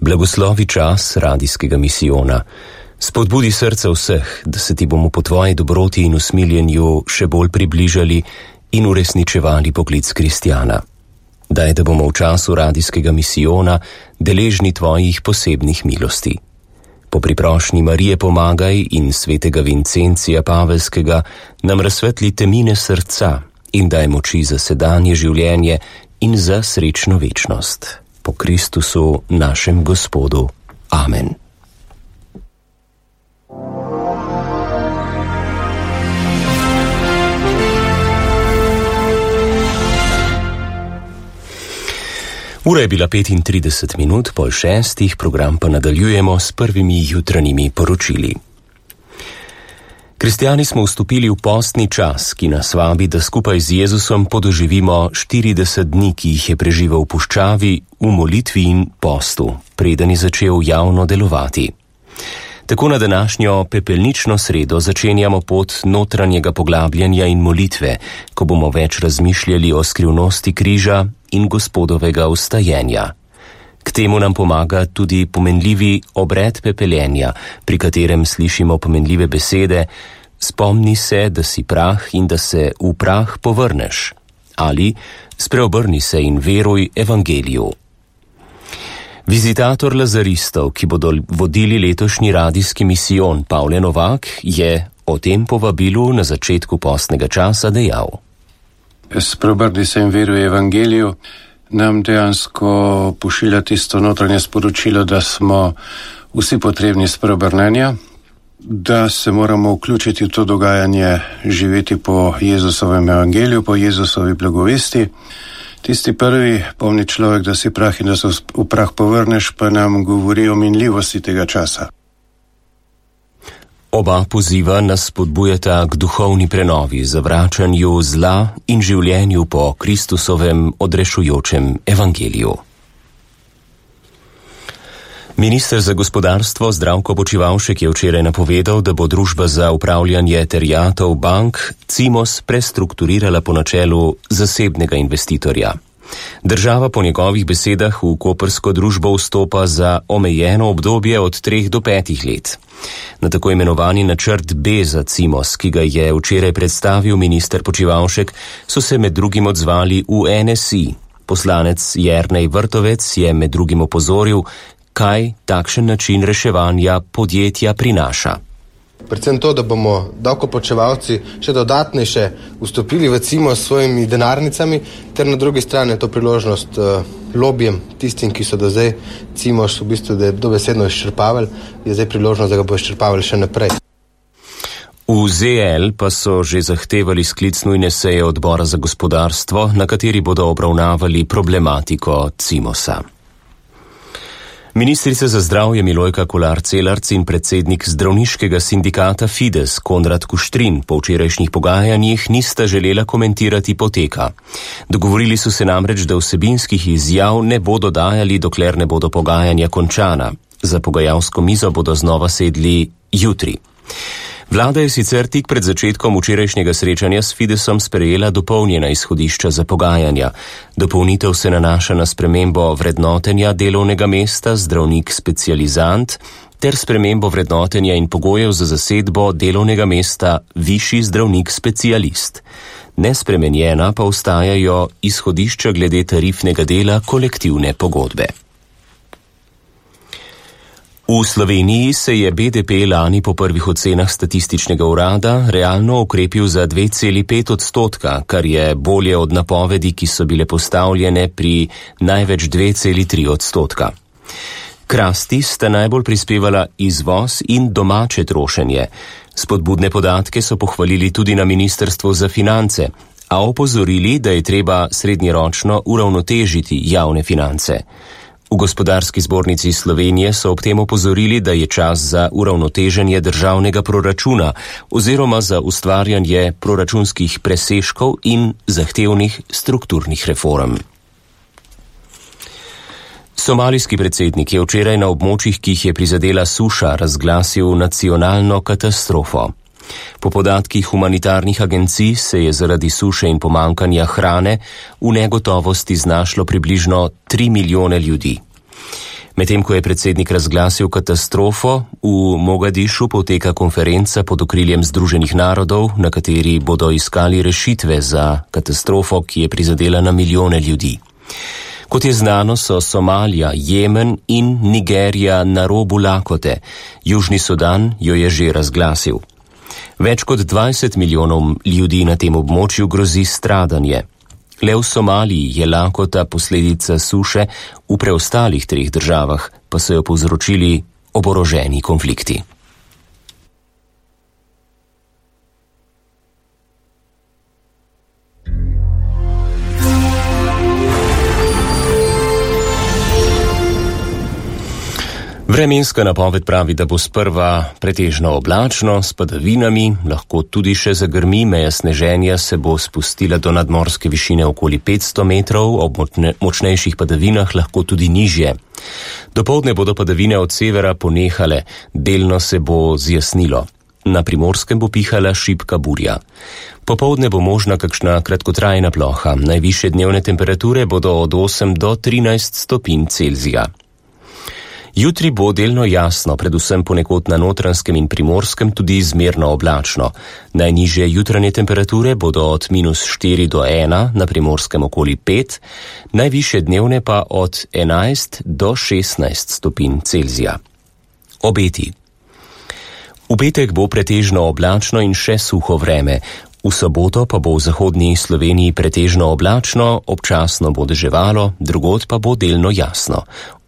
Blagoslovi čas radijskega misijona. Spodbudi srca vseh, da se ti bomo po tvoji dobroti in usmiljenju še bolj približali in uresničevali poklic kristjana. Daj, da bomo v času radijskega misijona deležni tvojih posebnih milosti. Po priprošnji Marije pomagaj in svetega Vincencija Pavelskega nam razsvetli temine srca in daj moči za sedanje življenje in za srečno večnost. Po Kristusu našem Gospodu. Amen. Ura je bila 35 po 6, program pa nadaljujemo s prvimi jutranjimi poročili. Kristjani smo vstopili v postni čas, ki nas vabi, da skupaj z Jezusom podoživimo 40 dni, ki jih je preživel v puščavi, v molitvi in postu, preden je začel javno delovati. Tako na današnjo pepelnično sredo začenjamo pot notranjega poglabljanja in molitve, ko bomo več razmišljali o skrivnosti križa in Gospodovega vstajenja. K temu nam pomaga tudi pomenljivi obred pepeljenja, pri katerem slišimo pomenljive besede: spomni se, da si prah in da se v prah povrneš, ali spreobrni se in veruj evangeliju. Vizitator lazaristov, ki bodo vodili letošnji radijski misijon, Pavle Novak, je o tem povabilu na začetku postnega časa dejal: Spreobrni se in veruj evangeliju nam dejansko pošilja tisto notranje sporočilo, da smo vsi potrebni spreobrnenja, da se moramo vključiti v to dogajanje, živeti po Jezusovem evangeliju, po Jezusovi blagovesti. Tisti prvi, pomni človek, da si prah in da se v prah povrneš, pa nam govori o minljivosti tega časa. Oba poziva nas spodbujata k duhovni prenovi, zavračanju zla in življenju po Kristusovem odrešujočem evangeliju. Minister za gospodarstvo Zdravko Počivalšek je včeraj napovedal, da bo družba za upravljanje terjatov bank Cimos prestrukturirala po načelu zasebnega investitorja. Država po njegovih besedah v koprsko družbo vstopa za omejeno obdobje od 3 do 5 let. Na tako imenovani načrt B za Cimos, ki ga je včeraj predstavil minister Počivalšek, so se med drugim odzvali v NSI. Poslanec Jernej Vrtovec je med drugim opozoril, kaj takšen način reševanja podjetja prinaša. Predvsem to, da bomo davkoplačevalci še dodatnejše vstopili v Cimos s svojimi denarnicami, ter na drugi strani to priložnost lobijem, tistim, ki so do zdaj Cimos v bistvu dobesedno izčrpavali, je zdaj priložnost, da ga bo izčrpavali še naprej. V ZL pa so že zahtevali sklic nujne seje odbora za gospodarstvo, na kateri bodo obravnavali problematiko Cimosa. Ministrica za zdravje Milojka Kolar Celarc in predsednik zdravniškega sindikata Fides Konrad Kuštrin po včerajšnjih pogajanjih nista želela komentirati poteka. Dogovorili so se namreč, da vsebinskih izjav ne bodo dajali, dokler ne bodo pogajanja končana. Za pogajalsko mizo bodo znova sedli jutri. Vlada je sicer tik pred začetkom včerajšnjega srečanja s Fidesom sprejela dopolnjena izhodišča za pogajanja. Dopolnitev se nanaša na spremembo vrednotenja delovnega mesta zdravnik specializant ter spremembo vrednotenja in pogojev za zasedbo delovnega mesta višji zdravnik specialist. Nespremenjena pa ostajajo izhodišča glede tarifnega dela kolektivne pogodbe. V Sloveniji se je BDP lani po prvih ocenah statističnega urada realno okrepil za 2,5%, kar je bolje od napovedi, ki so bile postavljene pri največ 2,3%. K rasti sta najbolj prispevala izvoz in domače trošenje. Spodbudne podatke so pohvalili tudi na Ministrstvu za finance, a opozorili, da je treba srednjeročno uravnotežiti javne finance. V Gospodarski zbornici Slovenije so ob tem opozorili, da je čas za uravnoteženje državnega proračuna oziroma za ustvarjanje proračunskih presežkov in zahtevnih strukturnih reform. Somalijski predsednik je včeraj na območjih, ki jih je prizadela suša, razglasil nacionalno katastrofo. Po podatkih humanitarnih agencij se je zaradi suše in pomankanja hrane v negotovosti znašlo približno 3 milijone ljudi. Medtem ko je predsednik razglasil katastrofo, v Mogadišu poteka konferenca pod okriljem Združenih narodov, na kateri bodo iskali rešitve za katastrofo, ki je prizadela na milijone ljudi. Kot je znano, so Somalija, Jemen in Nigerija na robu lakote. Južni Sudan jo je že razglasil. Več kot 20 milijonov ljudi na tem območju grozi stradanje. Le v Somaliji je lakota posledica suše, v preostalih 3 državah pa so jo povzročili oboroženi konflikti. Vremenska napoved pravi, da bo sprva pretežno oblačno, s padavinami, lahko tudi še zagrmi, meja sneženja se bo spustila do nadmorske višine okoli 500 metrov, ob močnejših padavinah lahko tudi nižje. Dopoldne bodo padavine od severa ponehale, delno se bo zjasnilo. Na Primorskem bo pihala šibka burja. Popoldne bo možna kakšna kratkotrajna ploha, najvišje dnevne temperature bodo od 8 do 13 stopinj Celzija. Jutri bo delno jasno, predvsem ponekod na Notranjskem in Primorskem tudi zmerno oblačno. Najnižje jutranje temperature bodo od -4 do 1, na Primorskem okoli 5, najvišje dnevne pa od 11 do 16 stopinj Celzija. Obeti. V petek bo pretežno oblačno in še suho vreme. V soboto pa bo v zahodnji Sloveniji pretežno oblačno, občasno bo deževalo, drugod pa bo delno jasno.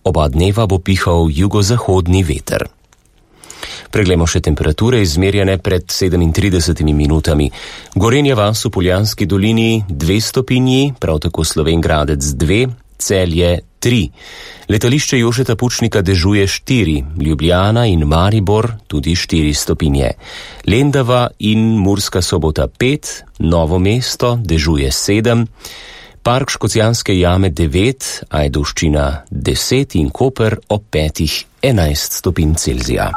Oba dneva bo pihal jugozahodni veter. Preglejmo še temperature izmerjene pred 37 minutami. Gorenja vas v Poljanski dolini 2 stopinji, prav tako Slovenj Gradec 2, Celje 3. Letališče Jožeta Pučnika dežuje 4, Ljubljana in Maribor tudi 4 stopinje. Lendava in Murska Sobota 5, Novo mesto dežuje 7, Park Škocjanske jame 9, Ajdovščina 10 in Koper ob 5 11 stopinj Celzija.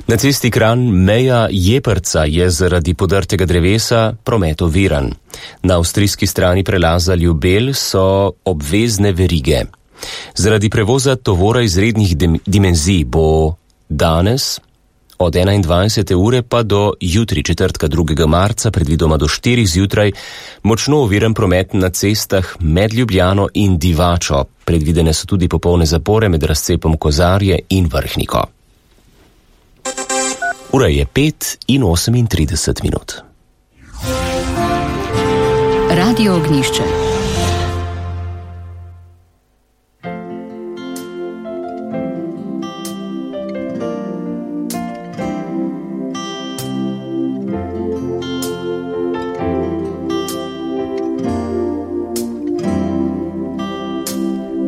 Na cesti Kranj-Meja Jeprca je zaradi podrtega drevesa promet oviran. Na avstrijski strani prelaza Ljubelj so obvezne verige. Zaradi prevoza tovora izrednih dimenzij bo danes od 21. ure pa do jutri četrtka 2. marca, predvidoma do 4 zjutraj, močno oviran promet na cestah med Ljubljano in Divačo. Predvidene so tudi popolne zapore med razcepom Kozarje in Vrhniko. Ura je 5:38 minut. Radio Ognjišče.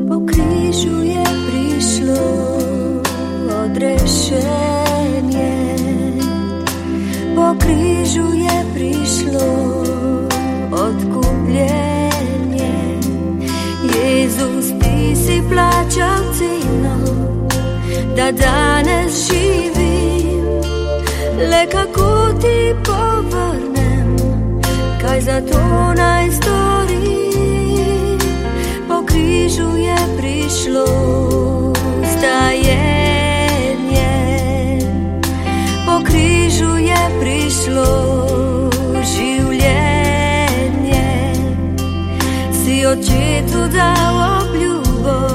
Po križu je prišlo odrešenje, po križu je prišlo odkupljenje. Jezus, ti si plačal ceno, da danes živim. Le kako ti povrnem, kaj za to naj storim?